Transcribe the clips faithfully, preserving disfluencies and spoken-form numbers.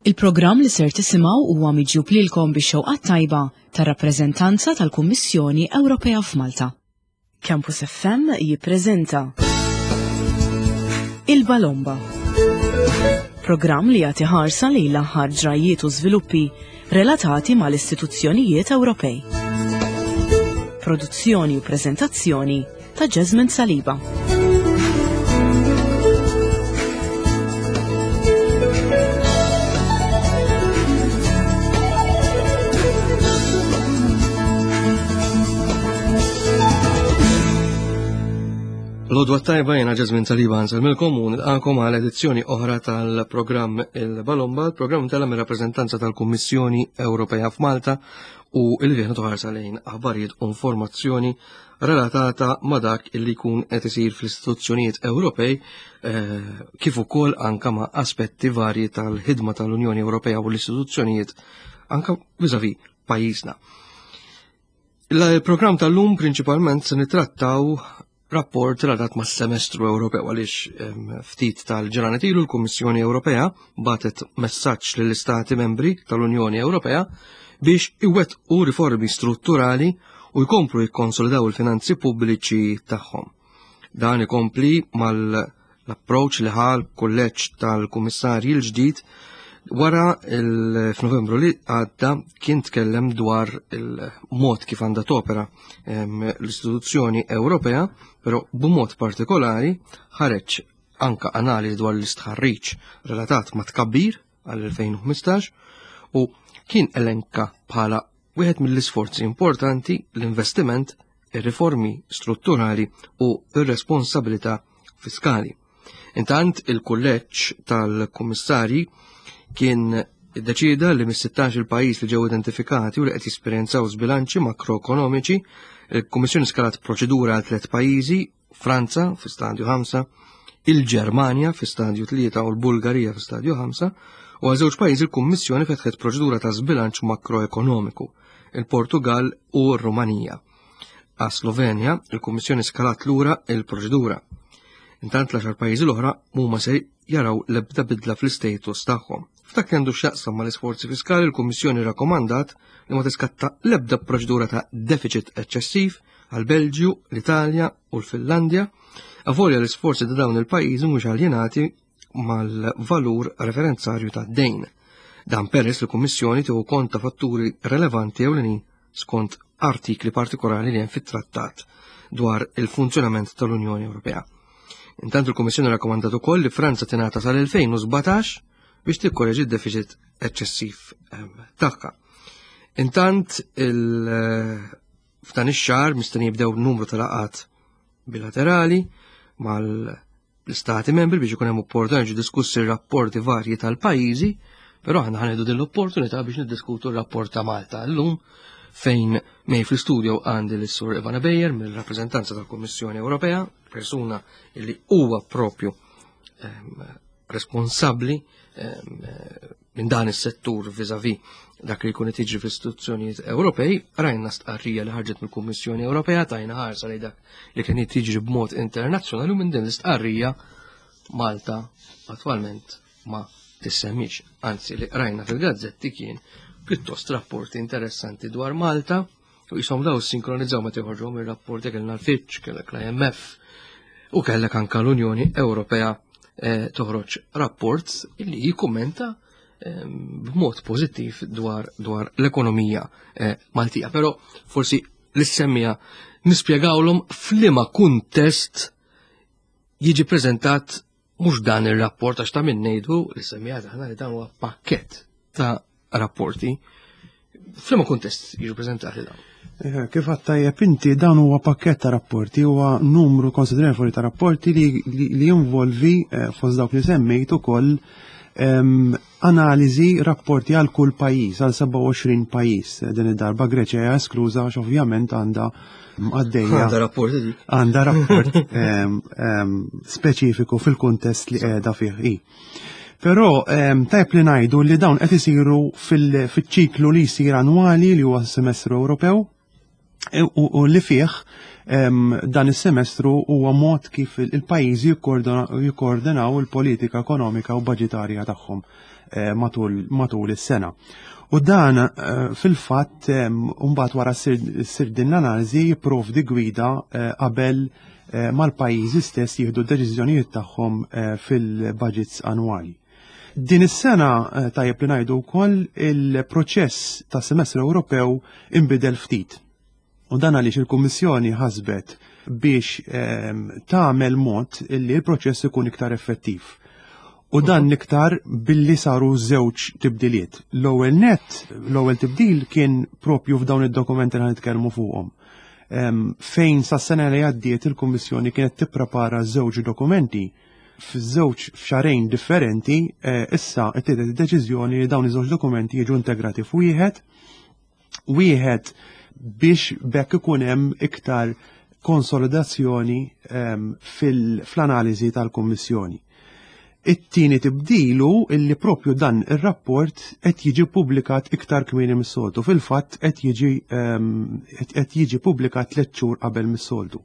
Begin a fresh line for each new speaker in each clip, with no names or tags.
Il-programm li ser tisimgħu huwa miġjub lilkom bix-xewqat tajba tar-rappreżentanza tal-Kummissjoni Ewropea f'Malta. Campus F M jippreżenta Il-Balomba. Programm li jagħti ħarsa lejn l-aħħar ġrajiet u żviluppi relatati mal-istituzzjonijiet Ewropej. Produzzjoni u preżentazzjoni ta' Jasmine Saliba.
L-għodwa t-tajba, jiena Jasmine Saliba, nsellmilkom u nilqagħkom għal edizzjoni oħra tal-programm Il-Balomba, il-programm tal rappreżentanza tal-Kummissjoni Ewropea f'Malta u il fih toħarsa lejn aħbarijiet u informazzjoni relatata ma' dak illi jkun qed isir fl-istituzzjonijiet Ewropej, eh, kif ukoll anka ma' aspetti varji tal-ħidma tal-Unjoni Ewropea u l-istituzzjonijiet anka vis-à-vis pajjiżna. Il-programm tal-lum prinċipalment se nitrattaw rapport relatat mas semestru Ewropew, għaliex ftit tal-ġranet ilu l-Kummissjoni Ewropea bagħtet messaġġ lill-Istati membri tal-Unjoni Ewropea biex iwettqu riformi strutturali u jkomplu jikkonsolidaw il-finanzi pubbliċi tagħhom. Dan ikompli mal-approach li ħa l-kulleġġ tal-Kummissarji l-ġdid wara f'Novembru li għadda kien tkellem dwar il-mod kif għandha topera l-istituzzjoni Ewropea, però b'mod partikolari ħareġ anka analiżi dwar l-istħarriġ relatat ma' tkabbir għall-elfejn u ħmistax u kien elenka bħala wieħed mill-isforzi importanti l-investiment, ir-riformi strutturali u r-responsabilità fiskali. Intant, il-kulleġġ tal-kummissarji kien iddeċida li mis-sittax il-pajjiż li ġew identifikati u li qed jesperjenzaw żbilanċi makroekonomiċi, il-Kummissjoni skalat proċedura għal tliet pajjiżi: Franza fi stadju ħamsa, il-Ġermanja fi stadju tlieta u l-Bulgarija fi stadju ħamsa, u għal żewġ pajjiżi l-Kummissjoni fetħet proċedura ta' żbilanċ makroekonomiku, il-Portugal u r-Rumanija. Għas Slovenja, il-Kummissjoni skalat lura il-proċedura. Intant, l-għaxar pajjiżi l-oħra mhuma se jaraw l-ebda bidla fl-istatus tagħhom. F'dak li għandu x'jaqsam mal-isforzi fiskali, il-Kummissjoni rakkomandat li ma tiskatta l-ebda proċedura ta' deficit eċċessiv għal Belġju, l-Italja u l-Finlandja, avolja l-isforzi ta' dawn il-pajjiżi mhux aljenati mal-valur referenzarju ta' dejn. Dan peress li l-Kummissjoni tieħu kont ta' fatturi relevanti ewlenin skont artikli partikolari li hemm fit-trattat dwar il-funzjonament tal-Unjoni Ewropea. Intant, il-Kummissjoni rakkomandat ukoll li Franza tingħata sal-elfejn u sbatax biex tikkoreġi d-deficit eċċessiv ehm, tagħha. Intant, il f'dan ix-xahar mistenni jibdew numru ta' laqgħat bilaterali mal-istati membri biex ikun hemm opportunità jiġu diskussi r-rapporti varji tal-pajjiżi, però aħna ħa nieħdu din l-opportunità biex niddiskutu r-rapport ta' Malta llum, fejn miegħi fl-istudio għandi l-Sur Ivana Bejer mill-rappreżentanza tal-Kummissjoni Ewropea, persuna li huwa propju ehm, responsabbli ehm, minn dan is-settur vis-à-vis dak li jkun qed jiġri fl-istituzzjonijiet Ewropej. Rajna stqarrija li ħarġet mill-Kummissjoni Ewropea, tajna ħarsa li dak li kien qed jiġri b'mod internazzjonali u minn din l-istqarrija Malta attwalment ma tissemmix. Anzi, li rajna fil-gazzetti kien pjuttost rapporti interessanti dwar Malta u jisom daw sinkronizzaw meta joħorġu mir-rapporti. Kellna l-Fitch, kellek l-I M F u kellek anka l-Unjoni Ewropea eh, toħroġ rapport illi jikkummenta eh, b'mod pożittiv dwar, dwar l-ekonomija eh, Maltija. Però forsi l-semmija nispjegawlhom f'liema kuntest jiġi preżentat mhux dan ir-rapport, għax ta' min ngħidu li semmija aħna li dan huwa pakkett ta' rapporti. F'liema kuntest jiġu preżentati dawn?
Eh, Kif għedt inti, dan huwa pakket ta' rapporti, huwa numru konsiderevoli ta' rapporti li, li, li jinvolvi eh, fost dawk li semmejt ukoll em, analiżi, rapporti għal kull pajjiż, għal sebgħa u għoxrin pajjiż. Din id-darba Greċja hija eskluża għax ovvjament għandha għaddejja
Għandha rapporti dik.
Għandha rapport em, em, speċifiku fil-kuntest li qiegħda fih hi. Però em, tajb li ngħidu li dawn qed isiru fil- fiċ-ċiklu li jsir annwali li huwa s-semestru Ewropew e- u, u li fih em, dan is-semestru huwa mod kif il- il-pajjiżi jikkordina- jikkoordinaw il-politika ekonomika u budgetarja tagħhom. eh, matul, matul is-sena. U dan eh, fil-fatt mbagħad wara ssir din l-analiżi jipprovdi gwida eh, qabel mal-pajjiżi stess jieħdu d-deċiżjonijiet tagħhom fil-budgets annwali. Din is-sena, tajjeb li ngħidu wkoll, il-proċess ta' semestru Ewropew inbidel ftit. U dan għaliex il-Kummissjoni ħasbet biex ehm, tagħmel mod li l-proċess ikun iktar effettiv. U dan l-iktar billi saru żewġ tibdiliet. L-ewwel net, l-ewwel tibdil kien propju f'dawn id-dokumenti li nitkellmu fuqhom. Ehm, fejn sa sena li għaddiet il-Kummissjoni kienet tipprepara żewġ dokumenti f'żewġ f'xahrejn differenti, eh, issa ttieħdet id-deċiżjoni li dawn iż-żewġ dokumenti jiġu integrati f'wieħed, wieħed, biex bekk ikun hemm iktar konsolidazzjoni ehm, fil-analiżi tal-Kummissjoni. It-tieni tibdilu illi propju dan ir-rapport qed jiġi publikat iktar kmieni mis-soltu. Fil-fatt qed jiġi ehm, qed jiġi publikat tliet xhur qabel mis-soltu.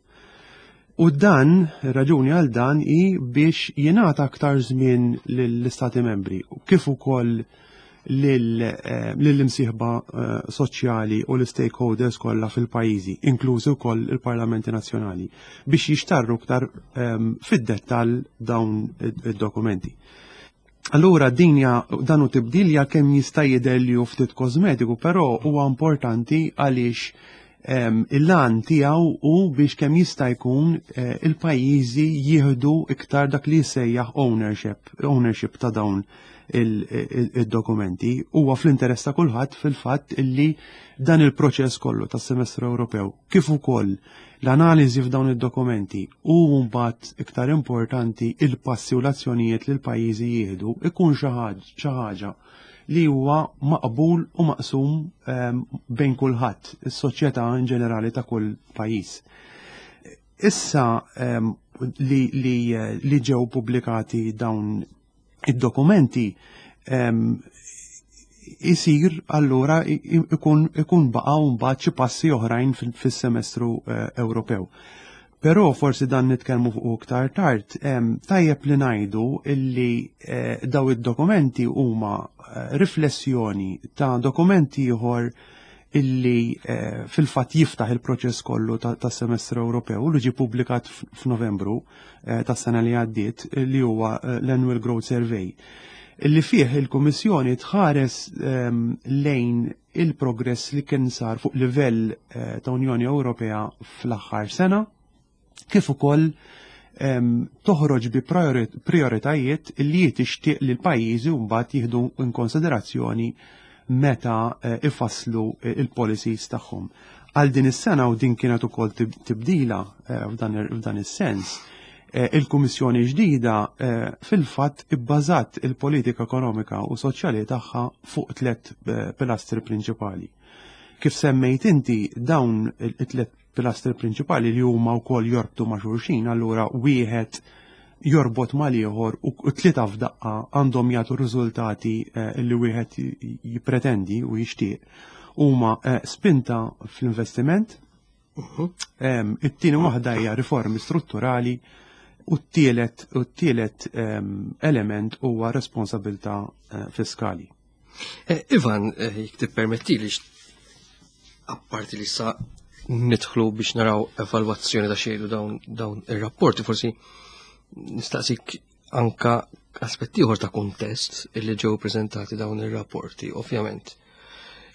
U dan, raġuni għal dan hi biex jingħata aktar żmien lill-Istati membri kif ukoll eh, lill-imsieħba eh, soċjali u l-stakeholders kollha fil-pajjiżi, inklużi wkoll il-parlamenti nazzjonali, biex jixtarru aktar ehm, fid-dettall dawn id-dokumenti. Allura dinja dan hu tibdil kemm jista' jidher li hu ftit kosmetiku, però huwa importanti għaliex ehm, il-għan tiegħu hu biex kemm jista' jkun eh, il-pajjiżi jieħdu iktar dak li jsejjaħ ownership, ownership ta' dawn il-dokumenti. Huwa fl-interess ta' kulħadd fil-fatt illi dan il-proċess kollu tas-semestru Ewropew kif ukoll l-analiżi f'dawn id-dokumenti u mbagħad, iktar importanti, il-passi u l-azzjonijiet li l-pajjiżi jieħdu ikun xi ħaġa li huwa maqbul u maqsum ehm, bejn kulħadd, is-soċjetà in ġenerali ta' kull pajjiż. Issa ehm, li, li, li ġew pubblikati dawn id-dokumenti, isir allura ikun ikun baqgħu mbagħad xi passi oħrajn fis-semestru eh, Ewropew. Però forsi dan nitkellmu fuq iktar tard, tajjeb li ngħidu illi eh, daw id-dokumenti huma eh, riflessjoni ta' dokumenti ieħor illi fil-fatt jiftaħ il-proċess kollu tas semestru Ewropew li ġie publikat f'Novembru tas-sena li għaddiet, li huwa l-Annual Growth Survey, illi fih il-Kummissjoni tħares ehm, lejn il-progress li kien sar fuq livell eh, ta' Unjoni Ewropea fl-aħħar sena, kif ukoll ehm, toħroġ bi prioritajiet li tixtieq li l-pajjiżi mbagħad jieħdu in konsiderazzjoni meta eh, ifasslu eh, il-policies tagħhom. Għal din is-sena, u din kienet ukoll tibdila f'dan is-sens, Eh, il-Kummissjoni ġdida eh, fil-fatt ibbażat il-politika ekonomika u soċjali tagħha fuq tliet eh, pilastri prinċipali. Kif semmejt inti, dawn it-tliet pilastri prinċipali li huma wkoll jorbtu ma' xulxin, allura wieħed jorbot mal-ieħor u tlieta f'daqqa għandhom jagħtu riżultati li wieħed jippretendi u jixtieq, huma spinta fl-investiment, mhm. it-tieni waħda hija riformi strutturali u t-tielet u t-tielet element huwa responsabilità eh, fiskali.
Eh, Ivan, eh, jekk tippermetti li, apparti li sa nidħlu biex naraw evalwazzjoni ta' xejdu dawn, dawn ir-rapporti, forsi nistaqsik anka aspetti ieħor ta' kuntest illi ġew prezentati dawn ir-rapporti, ovvjament.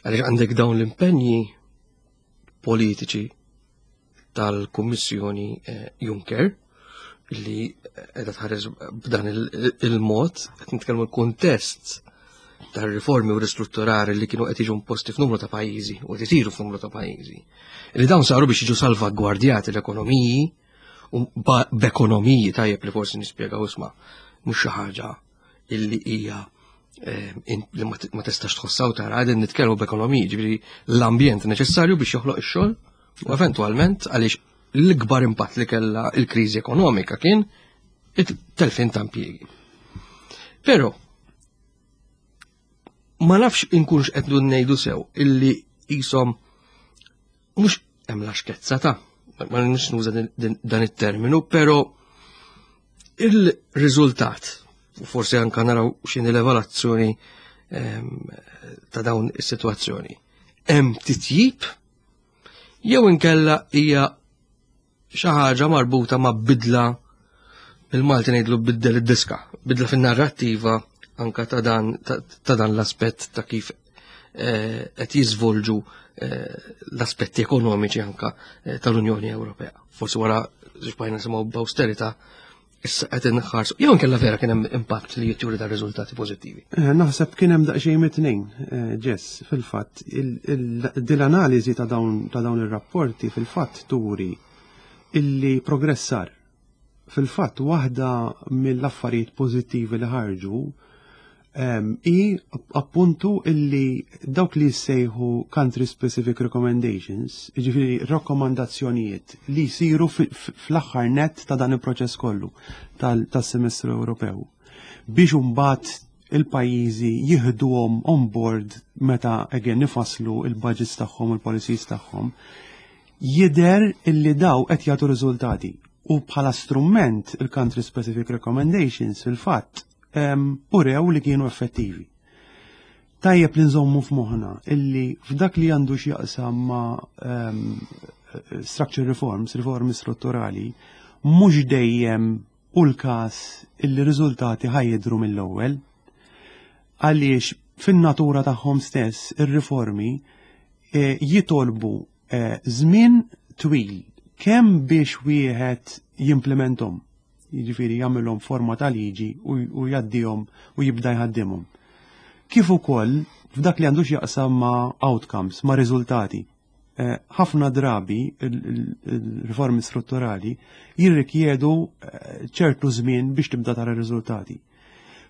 Għaliex għandek dawn l-impenji politiċi tal-Kummissjoni Juncker li qiegħda tħares b'dan il-mod, qed nitkellmu l-kuntest tar-riformi u ristrutturari li kienu qed jiġu imposti f'numru ta' pajjiżi u qed isiru f'numru ta' pajjiżi. Li dawn saru biex jiġu salvagwardjati l-ekonomiji u b'ekonomiji tajjeb li forsi nispjegaw, isma', mhux xi ħaġa illi hija eh, li ma tistax tħossaw tara, qegħdin nitkellmu b'ekonomiji, ġifieri l-ambjent neċessarju biex joħloq ix-xogħol u eventwalment, għaliex l-ikbar impatt li kellha il-kriżi ekonomika kien it-telfin ta' impjiegi. Però ma nafx inkunx qed ngħidu sew illi jisom mhux hemm laxkezza ta' ma nix nuża dan it-terminu, però il-riżultat U forsi anka naraw x'inhi l-evalwazzjoni ehm, ta' dawn is-sitwazzjoni. Hemm titjib jew inkella hija xi ħaġa marbuta ma' bidla, bil-Malti ngħidlu biddel id-diska, bidla fin-narrattiva anka ta' dan ta' dan l-aspett ta' kif eh, qed jiżvolġu eh, l-aspetti ekonomiċi anka eh, tal-Unjoni Ewropea. Forsi wara xbajna nisimgħu b'austerità, issa qed inħarsu. Jew inkella vera kien hemm impatt li juri ta' riżultati pożittivi?
Naħseb kien hemm daqsxejn mit-tnejn, Jess, fil-fatt dil-analiżi ta' dawn ta' dawn ir-rapporti fil-fatt turi illi progress sar. Fil-fatt waħda mill-affarijiet pożittivi li ħarġu i appuntu illi dawk li jissejħu country specific recommendations, ġifieri rakkomandazzjonijiet li jsiru fl-aħħar net ta' dan il-proċess kollu tas-semestru Ewropew, biex imbagħad il-pajjiżi jieħduhom on board meta again nifasslu il-budgets tagħhom u l-policies tagħhom, jidher illi daw qed jagħtu riżultati. U bħala strument il-country specific recommendations fil-fatt urew li kienu effettivi. Tajjeb li nżommu f'moħħna illi f'dak li għandu x'jaqsam ma' structure reforms, riformi strutturali, mhux dejjem u l-każ illi riżultati ħa jidhru mill-ewwel. Għaliex fin-natura tagħhom stess ir-riformi eh, jitolbu eh, żmien twil kemm biex wieħed jimplementhom, jiġifieri jagħmilhom forma ta' liġi u jgħaddihom u jibda jħaddimhom. Kif ukoll f'dak li għandu x'jaqsam ma' outcomes, ma' riżultati. Eh, ħafna drabi il-riformi strutturali jirrikjedu eh, ċertu żmien biex tibda tara riżultati.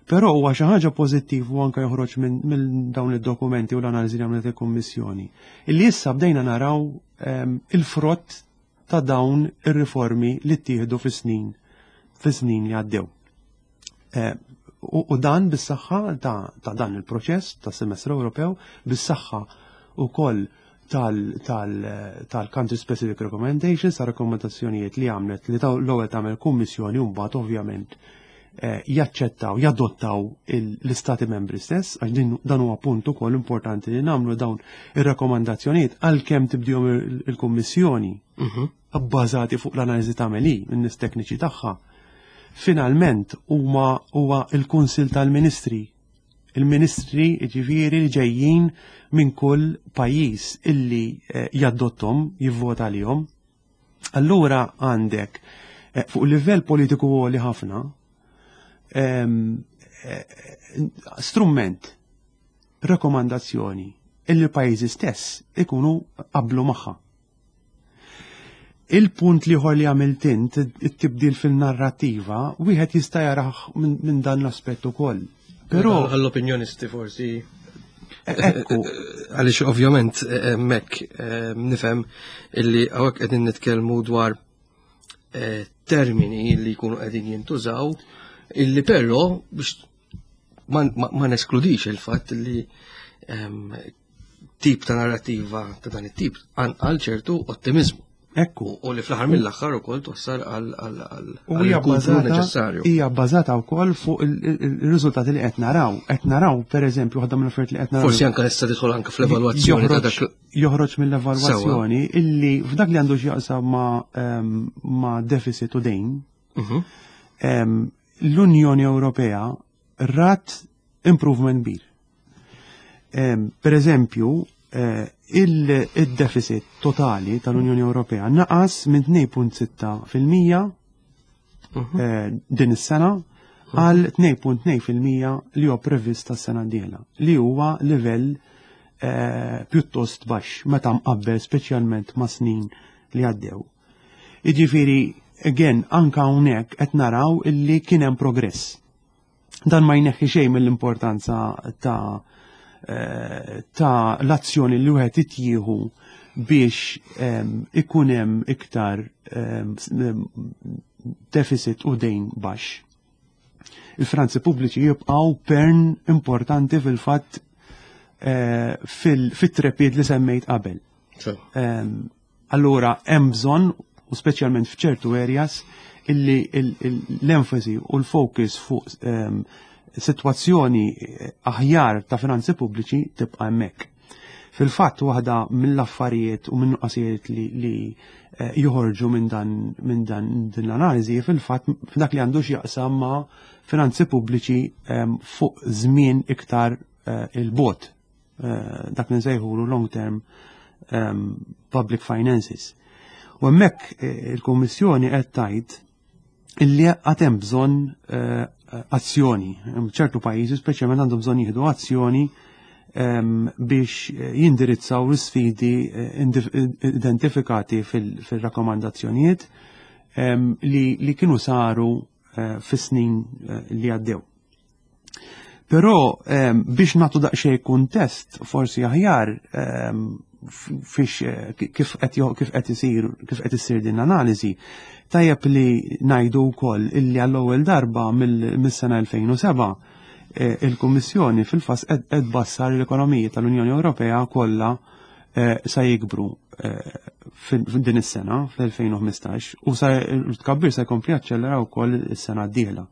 Però huwa xi ħaġa pożittiv u anke joħroġ minn dawn id-dokumenti u l-analiżi li għamlet il-Kummissjoni, illi issa bdejna naraw ehm, il-frott ta' dawn ir-riformi li ttieħdu fis-snin fis-snin li għaddew. Eh, u dan bis-saħħa ta' dan il-proċess ta' semestru Ewropew, bis-saħħa ukoll tal-country specific recommendations, ta' rakkomandazzjonijiet li għamlet li l-ewwel tagħmel kummissjoni u mbagħad ovvjament eh, jaċċettaw, jadottaw l-istati membri stess, għax din dan huwa punt ukoll importanti li nagħmlu: dawn ir-rakkomandazzjonijiet, għalkemm tibdihom il-Kummissjoni mhm. bbażati fuq l-analiżi tagħmel in-nies tekniċi tagħha, finalment huma huwa il-Kunsil tal-Ministri, il-ministri ġifieri li ġejjin minn kull pajjiż illi eh, jadottahom, jivvota għalihom. Allura għandek eh, fuq livell politiku li ħafna eh, strument, rekomandazzjoni illi pajjiżi stess ikunu qablu magħha. Il-punt l-ieħor li għamilt int, it-tibdil fil-narrativa, wieħed jista' jarah minn dan l-aspett ukoll.
Però għall-opinjonisti forsi.
Ekku.
Għaliex ovvjament mek nifhem illi hawnhekk qegħdin nitkellmu dwar eh, termini li jkunu qegħdin jintużaw, illi però biex ma neskludix il-fatt li tip ta' narrativa ta' dan it-tip għal ċertu ottimizmu.
Ekku.
U li fl-aħħar mill-aħħar ukoll twassal għal
U hija
bbażata neċessarju.
Hija bbażata wkoll fuq il-riżultati li qed naraw. Qed naraw, pereżempju, waħda mill-affarijiet li qed naraw.
Forsi anke issa tidħol anke fl-evalwazzjoni ta' dak.
Joħroġ mill-evalwazzjoni illi f'dak li għandu x'jaqsam ma' ehm, ma' deficit u dejn,
Mhm.
ehm, l-Unjoni Ewropea rat improvement kbir. Ehm, Per eżempju, eh, il- il-deficit totali tal-Unjoni Ewropea naqas minn tnejn punt sitta fil-mija
Mhm.
eh, din is-sena għal tnejn punt tnejn fil-mija li huwa previst tas-sena d-dieħla, li huwa livell eh, pjuttost baxx meta mqabbel speċjalment ma' snin li għaddew. Jiġifieri, again, anka hawnhekk qed naraw illi kien hemm progress. Dan ma jneħħi xejn mill-importanza ta' eh, ta' l-azzjoni li wieħed ittieħu biex em, ikun hemm iktar em, s- em, deficit u dejn baxx. Il-finanzi pubbliċi jibqgħu pern importanti fil-fatt eh, fil- fit-trepid li semmejt qabel.
So,
Em, Allura hemm bżonn, u speċjalment f'ċertu areas, illi l-enfasi u l-focus fuq ehm, sitwazzjoni aħjar ta' finanzi pubbliċi tibqa' hemmhekk. Fil-fatt, waħda mill-affarijiet u minn nuqqasijiet li, li eh, joħorġu minn dan minn dan din l-analiżi, fil-fatt, f'dak li għandu x'jaqsam ma' finanzi pubbliċi ehm, fuq żmien iktar eh, il-bogħod, eh, dak li nsejħulu long term um, public finances. U hemmhekk il-Kummissjoni qed tgħid illi għad hemm bżonn azzjoni. Ċertu pajjiżi speċjalment għandhom bżonn jieħdu azzjoni biex jindirizzaw l-sfidi eh, identifikati fil-rakkomandazzjonijiet li, li kienu saru eh, fis-snin eh, li għaddew. Però biex nagħtu daqsxejn kuntest forsi aħjar fix kif qed kif qed isir kif qed issir din l-analiżi, tajjeb li ngħidu wkoll illi għall-ewwel darba mill-sena elfejn u sebgħa Eh, il-Kummissjoni fil-fatt qed tbassar l-ekonomija tal-Unjoni Ewropea kollha eh, sa jikbru eh, f'din is-sena fl-elfejn u ħmistax u sa tkabbir sa jkompli jaċċellera wkoll is-sena d-dieħla.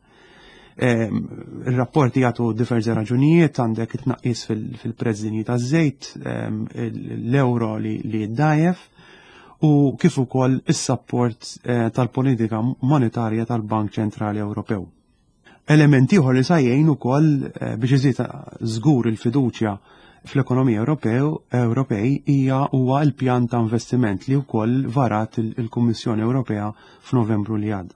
Il-rapporti jagħtu diversi raġunijiet: għandek it-tnaqqis fil-prezz dinji taż-żejt, l-euro li jiddajjef u kif ukoll is-support tal-politika monetarja tal-Bank Ċentrali Ewropew. Element ieħor li sa jgħin ukoll eh, biex iżid żgur il-fiduċja fl-ekonomija Ewropew Ewropej hija huwa l-pjan ta' investiment li wkoll varat il-Kummissjoni Ewropea f'Novembru li għadda.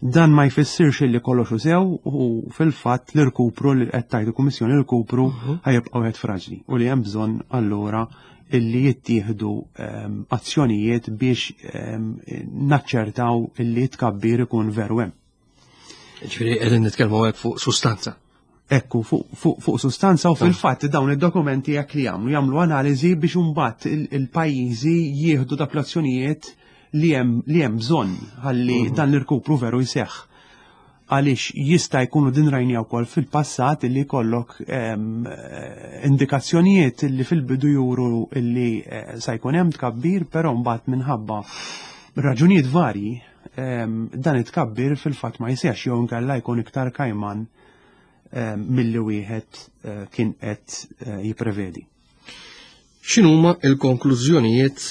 Dan ma jfissirx li kollox sew u fil-fatt l-irkupru li qed tgħid il-Kummissjoni, l-irkupru mhm. ħa jibqa' wieħed fraġli u li hemm bżonn allura illi jittieħdu ehm, azzjonijiet biex ehm, naċċertaw illi tkabbir ikun veru hemm.
Ġifieri qegħdin nitkellmu hekk fuq sustanza.
Ekku, fuq fu, fu sustanza, u fil-fatt dawn id-dokumenti jekk li jagħmlu jagħmlu analiżi biex imbagħad il-pajjiżi jieħdu dak l-azzjonijiet li hemm li hemm bżonn ħalli mhm. dan l-irkupru veru jseħħ. Għaliex jista' jkunu din rajni wkoll fil-passat illi jkollok indikazzjonijiet li fil-bidu juru illi eh, sa jkun hemm tkabbir, però mbagħad minħabba raġunijiet varji dan it-tkabbir fil-fatt ma jsirx jew inkella jkun iktar kajman milli wieħed eh, kien qed eh, jipprevedi.
X'inhuma il-konklużjonijiet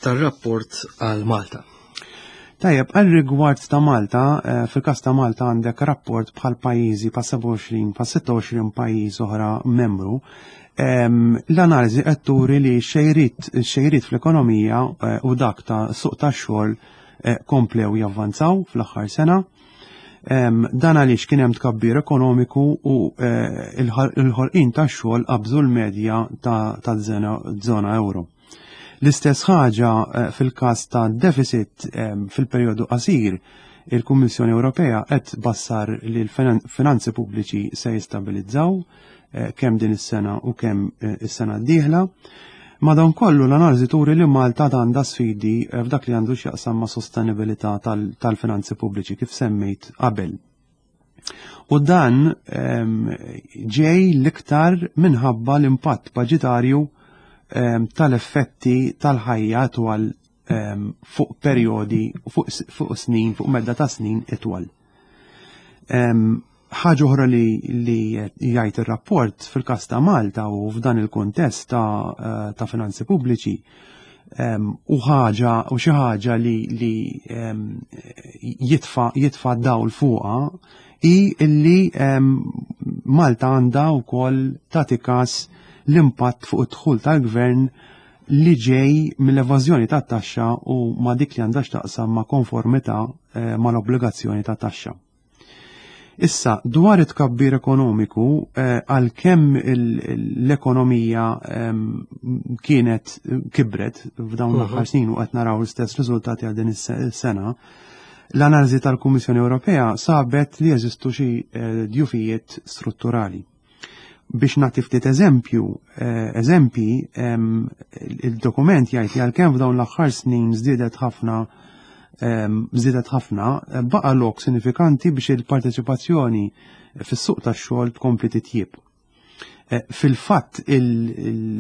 tar-rapport għal Malta?
Tajjeb, għal rigward ta' Malta, eh, fil-kas ta' Malta għandek rapport bħal pajjiżi pa' sebgħa u għoxrin, pa' sitta u għoxrin pajjiż oħra membru. L-analiżi qed turi li xejriet xejriet fl-ekonomija u dak ta' suq tax-xogħol komplew javvanzaw fl-aħħar sena. Dan għaliex kien hemm tkabbir ekonomiku u eh, il-ħolqien tax-xogħol qabżu l-medja ta' żona euro. L-istess ħaġa eh, fil-każ ta' deficit. Fil-perjodu qasir, il-Kummissjoni Ewropea qed tbassar li l-finanzi pubbliċi se jistabilizzaw eh, kemm din is-sena u kemm is-sena d-dieħla. Madankollu, l-analiżi turi li Malta għandha sfidi eh, f'dak li għandu x'jaqsam ma' sostenibilità tal-finanzi pubbliċi, kif semmejt qabel. U dan ġej l-iktar minħabba l-impatt budgetarju tal-effetti tal-ħajja twal fuq perjodi, fuq snin, fuq medda ta' snin itwal. Ħaġa oħra li, li jgħid ir-rapport fil-każ ta' Malta u f'dan il-kuntest ta', eh, ta' finanzi pubbliċi u ħaġa u xi ħaġa li, li jitfa' jitfa' dawl fuqha hi illi Malta għandha wkoll tagħti każ l-impatt fuq id-dħul tal-gvern li ġej mill-evażjoni tat-taxxa u ma' dik li għandha x'taqsam ma' konformità eh, mal-obbligazzjoni ta' taxxa. Issa, dwar it-tkabbir ekonomiku, eh, għalkemm l-ekonomija kienet kibret f'dawn mhm. l-aħħar snin u qed naraw l-istess riżultati għal din is-sena, l-analiżi tal-Kummissjoni Ewropea sabet li jeżistu xi eh, djufijiet strutturali. Biex nagħti ftit eżempju, eh, eżempji, il-dokument jgħid li għalkemm f'dawn l-aħħar snin żdiedet ħafna żdiedet ħafna, baqa' lok sinifikanti biex il-parteċipazzjoni fis-suq tax-xogħol tkompli titjib. Eh, fil-fatt il-rata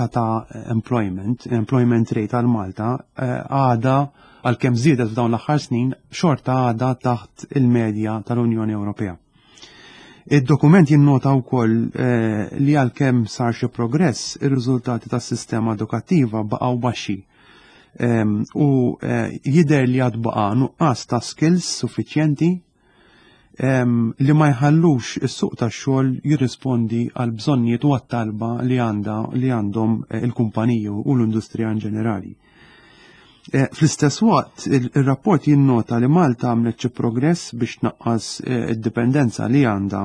ta' employment, employment rate għal Malta eh, għada għalkemm żiedet f'dawn l-aħħar snin xorta għada taħt il-medja tal-Unjoni Ewropea. Id-dokument jinnota wkoll eh, li għalkemm sar xi progress, ir-riżultati tas-sistema edukattiva baqgħu baxxi. U jidher li għad baqa' nuqqas ta' skills suffiċjenti li ma jħallux is-suq tax-xogħol jirrispondi għal bżonnijiet u għat-talba li għandha li għandhom eh, il-kumpaniji u l-industrija in ġenerali. Eh, fl-istess waqt, il-rapport jinnota li Malta għamlet xi progress biex tnaqqas eh, id-dipendenza li għandha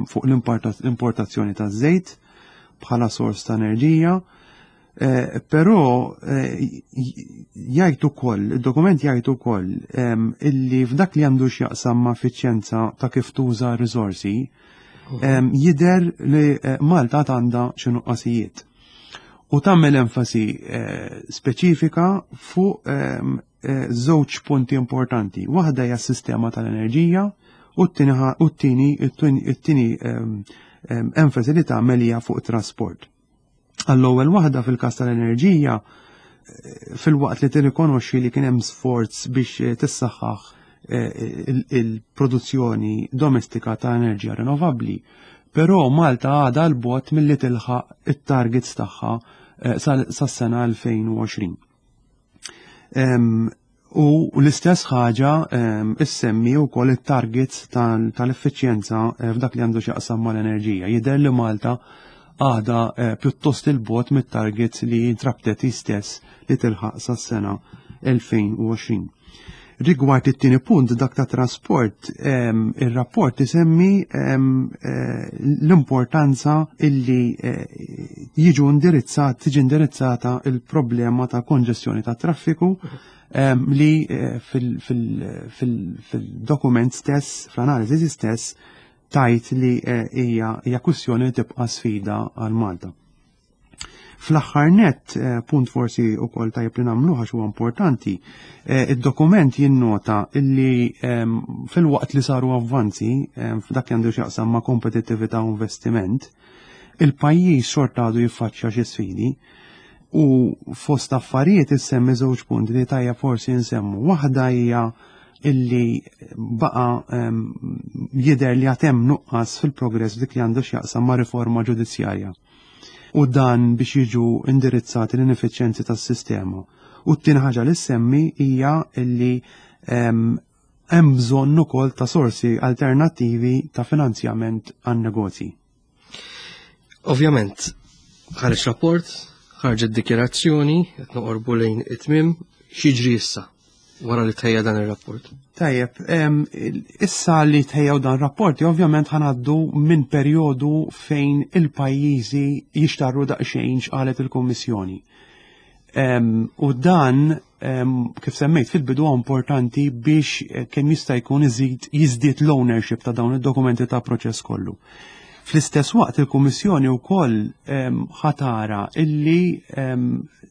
fuq l-importazzjoni ta' żejt bħala sors ta' enerġija, Eh, però eh, jgħid ukoll, id-dokument jgħid ukoll illi f'dak li għandu x'jaqsam ma' effiċjenza ta' kif tuża riżorsi, jidher li eh, Malta għandha xi nuqqasijiet. U tagħmel enfasi speċifika fuq żewġ punti importanti. Waħda hija s-sistema tal-enerġija u t-tieni it-tieni enfasi li tagħmel hija fuq trasport. Għall-ewwel waħda fil-każ tal-enerġija eh, filwaqt li tirrikonoxxi li kien hemm sforz biex eh, tissaħħaħ eh, il-produzzjoni domestika ta' enerġija rinnovabbli, però Malta għadha 'l bogħod milli tilħaq it-targets tagħha sas-sena elfejn u għoxrin. U l-istess ħaġa issemmi wkoll it-targets tal-effiċjenza f'dak li għandu x'jaqsam mal-enerġija. Jidher li Malta għada eh, pjuttost 'il bogħod mit-targets li intrabtet stess li tilħaq sas-sena elfejn u għoxrin. Rigward it-tieni punt, dak ta' trasport, ir-rapport isemmi eh, l-importanza illi eh, jiġu indirizzat, tiġi indirizzata il-problema ta' konġestjoni ta' traffiku li fil-dokument stess, fl-analiżi stess, tgħid li eh, hija hija kwistjoni li tibqa' sfida għal Malta. Fl-aħħar net, eh, punt forsi wkoll tajjeb li nagħmlu għax huwa importanti, eh, id-dokument jinnota illi ehm, fil-waqt li saru avvanzi ehm, f'dak li għandu x'jaqsam ma' kompetittività u investiment, il-pajjiż xorta għadu jiffaċċja xi sfidi u fost affarijiet issemmi żewġ punti li tajja forsi nsemmu. Waħda hija illi baqa um, jidher li għad hemm nuqqas fil-progress dik li għandu x'jaqsam ma' riforma ġudizzjarja. U dan biex jiġu indirizzati l-ineffiċjenzi tas-sistema. U t-tieni ħaġa li semmi hija illi hemm bżonn ukoll ta' sorsi alternattivi ta' finanzjament għan-negozji.
Ovvjament, ħareġ rapport, ħarġet dikjerazzjoni, qed noqorbu lejn it-tmiem, x'jiġri issa wara li tħejja dan ir-rapport?
Tajjeb, issa li tħejjaw dan rapporti, ovvjament ħa ngħaddu minn perjodu fejn il-pajjiżi jixtarru daqsxejn x'qalet il-Kummissjoni. U dan, kif semmejt fil-bidu, importanti biex eh, kemm jista' jkun iżid jiżdied l-ownership ta' dawn id-dokumenti ta' proċess kollu. Fl-istess waqt il-Kummissjoni wkoll ħa tara illi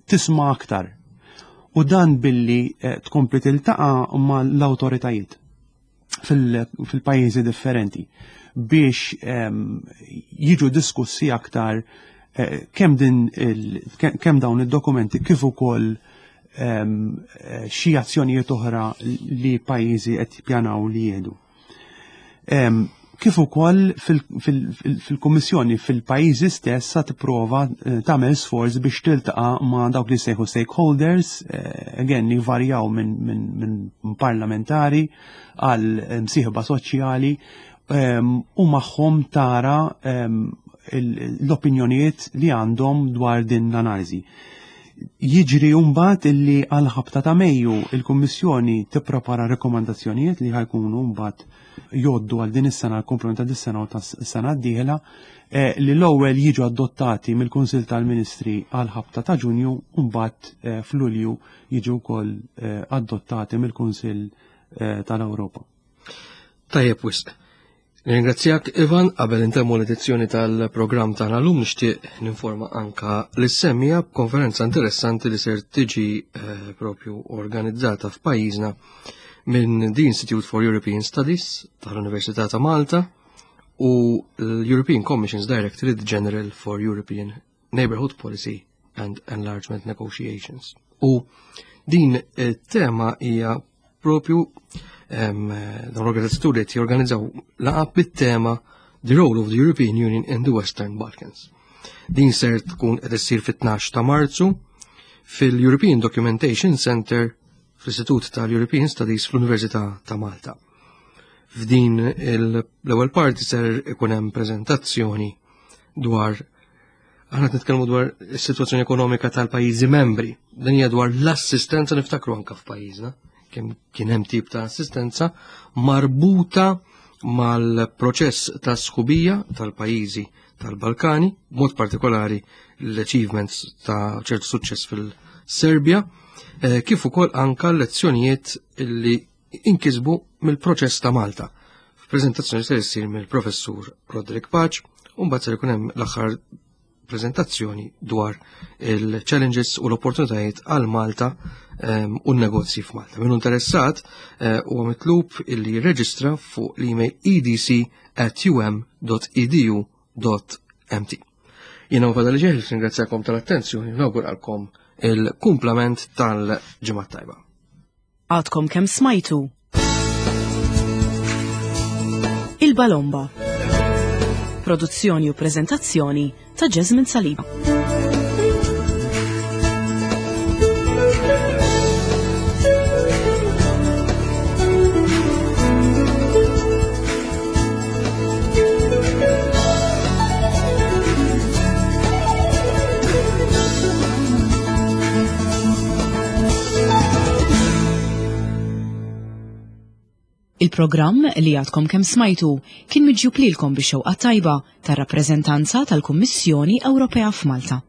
tisma' aktar u dan billi eh, tkompli tiltaqa' ma' l-awtoritajiet fil-pajjiżi differenti biex jiġu diskussi aktar eh, kemm din kemm dawn id-dokumenti kif ukoll eh, xi azzjonijiet oħra li pajjiżi qed jippjanaw li jieħdu. Kif ukoll fil-Kummissjoni fil-pajjiżi stess sa tipprova eh, tagħmel sforz biex tiltaqa' ma' dawk li sejħu stakeholders, again li varjaw minn min, min parlamentari għal msieħba soċjali, u magħhom tara l-opinjonijiet li għandhom dwar din l-analiżi. Jiġri mbagħad illi għal ħabta ta' Mejju il-Kummissjoni tipprepara rekomandazzjonijiet li ħa jkunu mbagħad jgħoddu għal din is-sena, l-komplement ta' dis-sena u tas-sena d-dieħla, eh, li l-ewwel jiġu adottati mill-Kunsill tal-Ministri għal ħabta ta' Ġunju u mbagħad eh, f'Lulju jiġu wkoll eh, adottati mill-Kunsill tal-Ewropa.
Tajjeb wisq. Ringrazzjak, Ivan. Qabel intemmu l-edizzjoni tal-programm tagħna llum, nixtieq ninforma anka lis-semmiegħa b'konferenza interessanti li ser tiġi eh, propju organizzata f'pajjiżna minn the Institute for European Studies tal-Università ta' Malta. u l-European Commission's Directorate General for European Neighborhood Policy and Enlargement Negotiations. U din tema hija propju dawn l-organizzaturi qed jorganizzaw laqgħa bit-tema The Role of the European Union in the Western Balkans. Din ser tkun qed issir fit-tnax ta' Marzu fil-European Documentation Center fl-Istitut tal-European Studies fl-Università ta' Malta. F'din l-ewwel parti ser ikun hemm preżentazzjoni dwar, aħna nitkellmu dwar is-sitwazzjoni ekonomika tal-pajjiżi membri. Dan hija dwar l-assistenza, niftakru anke f'pajjiżna kemm kien hemm tip ta' assistenza marbuta mal-proċess ta' sħubija tal-pajjiżi tal-Balkani, mod partikolari l-achievements ta' ċertu suċċess fil-Serbja, eh, kif ukoll anka lezzjonijiet li inkisbu mill-proċess ta' Malta. F'preżentazzjoni se issir mill-professur Roderick Pace, u mbagħad ser ikun hemm l-aħħar prezentazzjoni dwar il-challenges u l-opportunitajiet għal Malta um, u n-negozji f'Malta. Min interessat uh, huwa mitlub illi jirreġistra fuq l-email e d c at u m dot e d u dot m t. Jiena fadal ġeħil ringrazzjakom tal-attenzjoni u nawguralkom il-kumplament tal-ġimgħa tajba.
Għadkom kemm smajtu Il-Balomba. Produzzjoni u prezentazzjoni ta' Jasmine Saliba. Il-programm li għadkom kemm smajtu kien miġjub lilkom bix-xewqa tajba tar-rappreżentanza tal-Kummissjoni Ewropea f'Malta.